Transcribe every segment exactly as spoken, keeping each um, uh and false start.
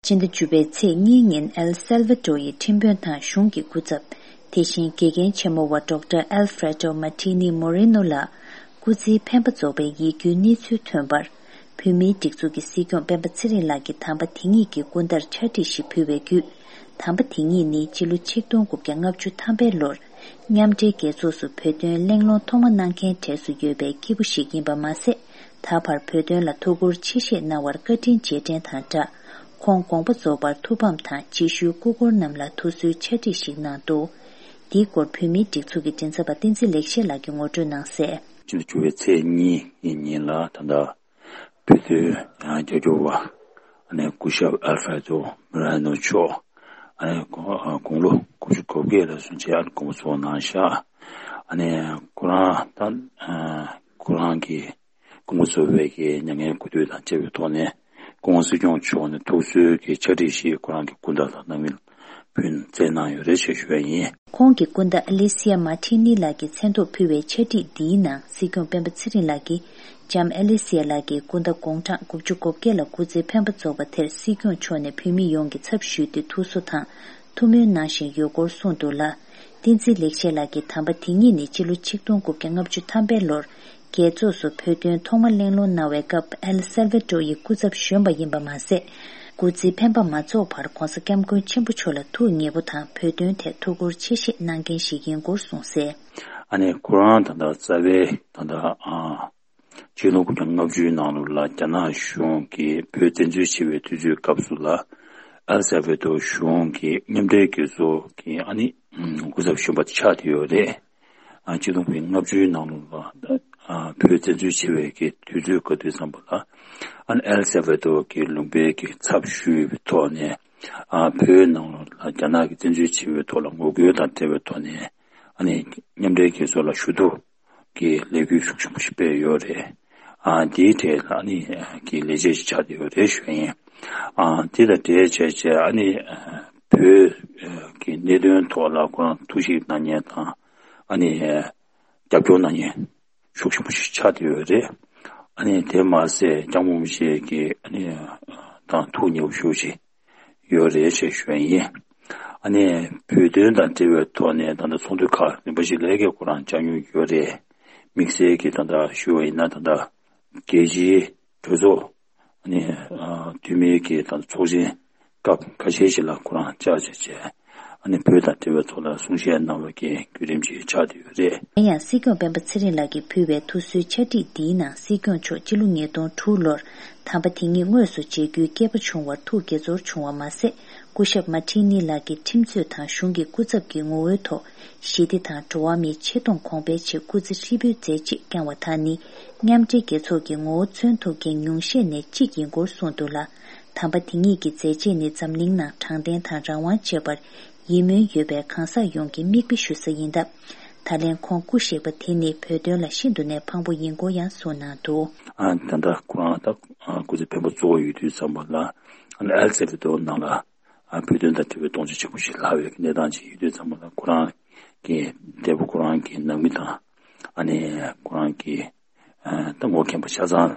སྤྱི་ཟླ་བཅུ་པའི་ཚེས་གཉིས་ཉིན་ཨེལ་སེལ་ཝ་ཏོ་ཡི་ཁྲིམས་དཔོན་དང་གཞུང་གི་སྐུ་ཚབ། དེ་བཞིན་དགེ་རྒན་ཆེན་མོ་བ་ཌོག་ཊར་ཨལ་ཧྥྲེ་ཏོ་མ་ཏི་ནི་མོ་རི་ནོ་ལགས། སྐུ་ཚེའི་འཕེན་པ་རྫོགས་པའི་ཡིད་སྐྱོའི་གནས་ཚུལ་ཐོན་པར། བོད་མིའི་སྒྲིག་འཛུགས་ཀྱི་སྲིད་སྐྱོང་སྤེན་པ་ཚེ་རིང་ལགས་ཀྱིས་དམ་པ་དེ་ཉིད་ཀྱི་སྐུ་ཟླར་ཕྱག་བྲིས་ཤིག་ཕུལ་བའི་བརྒྱུད། དམ་པ་དེ་ཉིད་ནི་སྤྱི་ལོ་ཆིག་སྟོང་དགུ་བརྒྱ་ལྔ་བཅུ་ཐམ་པའི་ལོར། མཉམ་འབྲེལ་རྒྱལ་ཚོགས་སུ་བོད་དོན་གླེང་སློང་ཐོག་མ་གནང་མཁན་གྲས་སུ་ཡོད་པའི་སྐྱེས་བུ་ཞིག་ཡིན་པ་མ་ཟད། ད་བར་བོད་དོན་ལ་ཐུགས་ཁུར་ཆེ་བཞེས་གནང་བར་བཀའ་དྲིན་རྗེས་དྲན་དང་སྦྲགས། ཁོང་དགོངས་པ་རྫོགས་པར་ཐུགས་ཕམ་དང་རྗེས་ཤུལ་སྐུ་འཁོར་རྣམས་ལ་ཐུགས་གསོའི་ཕྱག་བྲིས་ཤིག་གནང་འདུག། འདིའི་སྐོར་བོད་མིའི་སྒྲིག་འཛུགས་ཀྱི་མགྲིན་ཚབ་པ་བསྟན་འཛིན་ལེགས་བཤད་ལགས་ཀྱིས་ངོ་སྤྲོད་གནང་གསལ། སྤྱི་ཟླ་བཅུ་པའི་ཚེས་གཉིས་ཀྱི་ཉིན་ལ་ད་ལྟ་བོད་དོན་རྒྱབ་སྐྱོར་བ་ཨ་ནི་སྐུ་ཞབས་ཨལ་ཧྥྲེ་ཏོ་མོ་རེ་ནོ་མཆོག་ཨ་ནི་དགུང་ལོ་དགུ་བཅུ་གོ་བརྒྱད་ལ་སོན་རྗེས་ཨ་ནི་དགོངས་པ་རྫོགས་གནང་ཤག། ཨ་ནི་ཁོ་རང་ད་ཁོ་རང་གི་སྐུ་ངོ་ཚོ་བའི་གི་མྱ་ངན་གུས་འདུད་དང་བཅས་པའི་ཐོག་ནས་སྐུ་ངོ་སྲིད་སྐྱོང་མཆོག་ནས་ཐུགས་གསོའི་གི་ཕྱག་བྲིས་ཤིག་ཁོ་རང་གི་སྐུ་ཟླ་དང་ནང་མི་ཕུལ་བསྩལ་གནང་ཡོད་རེད་ཅེས་ཞུ་བ་ཡིན། ཁོང་གི་སྐུ་ཟླ་ཨ་ལི་སི་ཡ་མ་ཏི་ནི་ལགས་ཀྱི་མཚན་ཐོག་ཕུལ་བའི་ཕྱག་བྲིས་འདིའི་ནང་སྲིད་སྐྱོང་སྤེན་པ་ཚེ་རིང་ལགས་ཀྱིས་ལྕམ་ཨ་ལི་སི་ཡ་ལགས་ཀྱི་སྐུ་ཟླ་དགུང་གྲངས་དགུ་བཅུ་གོ་བརྒྱད་ལ་སྐུ་ཚེའི་འཕེན་པ་རྫོགས་པ་དེར་སྲིད་སྐྱོང་མཆོག་ནས་བོད་མི་ཡོངས་ཀྱི་ཚབ་ཞུས་ཏེ་ཐུགས་གསོ་དང་། ཐུགས་སྨོན་གནང་བཞིན་ཡོད་སྐོར་གསུངས་འདུག་ལ། བསྟན་འཛིན་ལེགས་བཤད་ལགས་ཀྱིས་དམ་པ་དེ་ཉིད་ནི་སྤྱི་ལོ་ཆིག་སྟོང་དགུ་བརྒྱ་ལྔ་བཅུ་ཐམ་པའི་ལོར་རྒྱལ་ཚོགས་སུ་བོད་དོན་ཐོག་མ་གླེང་སློང་གནང་བའི་སྐབས་ཨེལ་སེལ་ཝ་ཏོ་ཡི་སྐུ་ཚབ་གཞོན་པ་ཡིན་པ་མ་ཟད། སྐུ་ཚེའི་འཕེན་པ་མ་རྫོགས་བར་༧གོང་ས་༧སྐྱབས་མགོན་ཆེན་པོ་མཆོག་ལ་ཐུགས་མཉེས་པོ་དང་བོད་དོན་ཐད་ཐུགས་ཁུར་ཆེ་བཞེས་གནང་མཁན་ཞིག་ཡིན་སྐོར་གསུངས་གསལ། ཨ་ནི་ཁོ་རང་ད་ལྟ་རྩ་བའི་ད་ལྟ་ཨ། ཆིག་སྟོང་དགུ་བརྒྱ་ལྔ་བཅུའི་ནང་ལོགས་ལ་རྒྱ་ནག་གཞུང་གིས་བོད་བཙན་འཛུལ་བྱས་པའི་དུས་ཚོད་སྐབས་སུ་ལ། ཨེལ་སེལ་ཝ་ཏོ་གཞུང་གིས་མཉམ་འབྲེལ་རྒྱལ་ཚོགས་ཀྱི་ཨ་ནི་སྐུ་ཚབ་གཞོན་པ་ཆགས་བསྡད་ཡོད་རེད། ཨ་ཆིག་སྟོང་དགུ་བརྒྱ་ལྔ་བཅུའི་ནང་ལོགས་ལ་ཨ་བོད་བཙན་འཛུལ་བྱས་པའི་གི་དུས་ཚོད་ག་དུས་ཙམ་པ་ལ། ཨ་ནི་ཨེལ་སེལ་ཝ་ཏོ་གི་ལུང་པའི་གི་ཚབ་ཞུས་པའི་ཐོག་ནས། ཨ་བོད་ནང་ལོགས་ལ་རྒྱ་ནག་གིས་བཙན་འཛུལ་བྱས་པའི་ཐོག་ལ་ངོ་རྒོལ་དང་འབྲེལ་བའི་ཐོག་ནས། ཨ་ནི་མཉམ་འབྲེལ་རྒྱལ་ཚོགས་ལ་ཞུ་གཏུག་གི་ལས་འགུལ་ཤུགས་ཆེན་པོ་ཞིག་སྤེལ་ཡོད་རེད། ཨ་དེའི་གྲས་ལ་ཨ་ནི་གི་ལས་བྱེད་ཅིག་ཆགས་བསྡད་ཡོད་རེད་ཞུ་ཡིན། ཨ་དེ་དང་འབྲེལ་བྱས་བྱས་ཨ་ནི་བོད་ཀྱི་གནད་དོན་ཐོག་ལ་ཁོ་རང་ཐུགས་ཞིབ་གནང་མཁན་དང་ཨ་ནི་རྒྱབ་སྐྱོར་གནང་མཁན་ཤུགས་ཆེན་པོ་ཞིག་ཆགས་བསྡད་ཡོད་རེད། ཨ་ནི་དེ་མ་ཟད་སྐྱབས་མགོན་རིན་པོ་ཆེ་གི་ཨ་ནི་དང་ཐུགས་མཉེས་པོ་ཤུགས་ཆེ། ཡོད་རེད་ཅེས་ཞུ་བ་ཡིན། ཨ་ནི་བོད་དོན་དང་འབྲེལ་བའི་ཐོག་ནས་ད་ལྟ་ཚོགས་འདུ་ཁག་རིམ་པ་ཞིག་ལས་ཀའི་ཁོ་རང་བཅར་མྱོང་ཡོད་རེད། དམིགས་བསལ་གྱིས་ད་ལྟ་ཞུ་བ་ཡིན་ན་ད་ལྟ་རྒྱལ་སྤྱིའི་གྲོས་ཚོགས་ཨ་ནི་འཐུས་མིའི་གི་ད་ལྟ་ཚོགས་ཆེན་སྐབས་ཁ་ཤས་ཤིག་ལ་ཁོ་རང་བཅར་བྱས་བྱས་ཨ་ནི་བོད་དང་འབྲེལ་བའི་ཐོག་ལ་གསུང་བཤད་གནང་བའི་གི་བརྒྱུད་རིམ་ཞིག་ཆགས་བསྡད་ཡོད་རེད། ཡང་སྲིད་སྐྱོང་སྤེན་པ་ཚེ་རིང་ལགས་ཀྱིས་ཕུལ་བའི་ཐུགས་གསོའི་ཕྱག་བྲིས་འདིའི་ནང་སྲིད་སྐྱོང་མཆོག་སྤྱི་ལོ་ཉིས་སྟོང་དྲུག་ལོར་དམ་པ་དེ་ཉིད་དངོས་སུ་མཇལ་རྒྱུའི་སྐལ་པ་བྱུང་བར་ཐུགས་དགྱེས་ཚོར་བྱུང་བ་མ་ཟད། སྐུ་ཞབས་མ་ཏི་ནི་ལགས་ཀྱིས་ཁྲིམས་རྩོད་དང་གཞུང་གི་སྐུ་ཚབ་ཀྱི་ངོ་བོའི་ཐོག་ཞི་བདེ་དང་འགྲོ་བ་མིའི་ཆེ་མཐོང་གོང་འཕེལ་ཆེད་སྐུ་ཚེ་ཧྲིལ་པོའི་མཛད་རྗེས་བསྐྱངས་བ་དག་ནི་མཉམ་འབྲེལ་རྒྱལ་ཚོགས་ཀྱི་ངོ་བོ་མཚོན་ཐུབ་མཁན་ཉུང་ཤས་ནས་གཅིག་ཡིན་སྐོར་གསུངས་འདུག་ལ། དམ་པ་དེ་ཉིད་ཀྱི་མཛད་རྗེས་ནི་འཛམ་གླིང་ནང་དྲང་བདེན་དང་རང་དབང་བཅས་པར་ཡིད་སྨོན་ཡོད་པའི་གང་ཟག་ཡོངས་ཀྱི་མིག་དཔེ་ཞུ་ས་ཡིན་སྟབས། ད་ལན་ཁོང་སྐུ་གཤེགས་པ་དེ་ནི་བོད་དོན་ལ་ཤིན་ཏུ་ནས་ཕངས་པོ་ཡིན་སྐོར་ཡང་གསུངས་གནང་འདུག། ཨ་ད་ལྟ་ཁོ་རང་ད་སྐུ་ཚེ་འཕེན་པ་གཙོ་བོ་ཡོད་དུས་ཙམ་པ་ལ་ཨ་ནི་ཨེལ་སེལ་ཝ་ཏོར་ནང་ལ་ཨ་བོད་དོན་དང་འབྲེལ་བའི་གཏོང་ཆ་ཆེན་པོ་ཞིག་ལྷག་པའི་གནས་སྟངས་ཅིག་ཡོད་དུས་ཙམ་པ་ལ་ཁོ་རང་གི་འདས་པོ་ཁོ་རང་གི་ནང་མི་དང་ཨ་ནི་ཁོ་རང་གི་ཨ་ད་ངོ་མཁན་པ་ཆ་ཚང་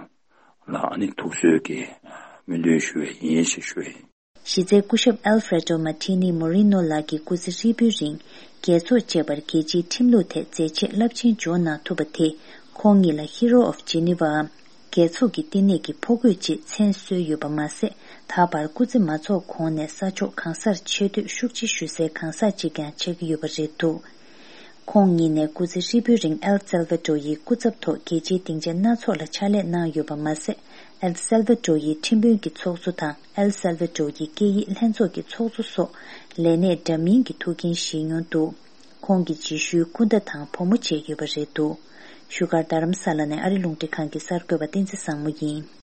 ལ་ཨ་ནི་ཐུགས་གསོའི་གི་སྨོན་འདུན་ཞུ་བའི་ཡིན་ཞེས་ཞུ་བའི། གཞི་རྩའི་སྐུ་ཞབས་ཨལ་ཧྥྲེ་ཏོ་མ་ཏི་ནི་མོ་རི་ནོ་ལགས་ཀྱི་སྐུ་ཚེ་ཧྲིལ་པོའི་རིང་རྒྱལ་ཚོགས་བཅས་པར་རྒྱལ་སྤྱིའི་ཁྲིམས་ལུགས་ཐད་མཛད་རྗེས་རླབས་ཆེན་འཇོག་གནང་ཐུབ་པ་དེས་ཁོང་ཉིད་ལ་Hero of Geneva་འམ་རྒྱལ་ཚོགས་ཀྱི་བསྟི་གནས་ཀྱི་ཕོ་རྒོད་ཅེས་མཚན་གསོལ་ཡོད་པ་མ་ཟད། ད་བར་སྐུ་ཚེ་མ་རྫོགས་གོང་ནས་ས་ཕྱོགས་གང་སར་ཆེ་བསྟོད་ཤུགས་ཆེ་ཞུ་སའི་གང་ཟག་ཅིག་ཀྱང་ཆགས་ཀྱི་ཡོད་པ་རེད་འདུག། ཁོང་ཉིད་ནས་སྐུ་ཚེ་ཧྲིལ་པོའི་རིང་ཨེལ་སེལ་ཝ་ཏོ་ཡི་སྐུ་ཚབ་ཐོག་རྒྱལ་སྤྱིའི་སྡིངས་ཆ་སྣ་ཚོགས་ལ་ཕྱག་ལས་གནང་ཡོད་པ་མ་ཟད། ཨེལ་སེལ་ཝ་ཏོ་ཡི་ཁྲིམས་དཔོན་གྱི་ཚོགས་གཙོ་དང་ཨེལ་སེལ་ཝ་ཏོ་ཡི་སྐད་ཡིག་ལྷན་ཚོགས་ཀྱི་ཚོགས་གཙོ་སོགས་ལས་གནས་འདྲ་མིན་གྱི་ཐུགས་འགན་བཞེས་མྱོང་འདུག། ཁོང་གི་རྗེས་ཤུལ་སྐུ་ཟླ་དང་བུ་མོ་བཅས་ཡོད་པ་རེད་འདུག། བཞུགས་སྒར་རྡ་རམ་ས་ལ་ནས་ཨ་རི་རླུང་འཕྲིན་ཁང་གི་གསར་འགོད་པ་བསྟན་འཛིན་བཟང་མོ་ཡིན།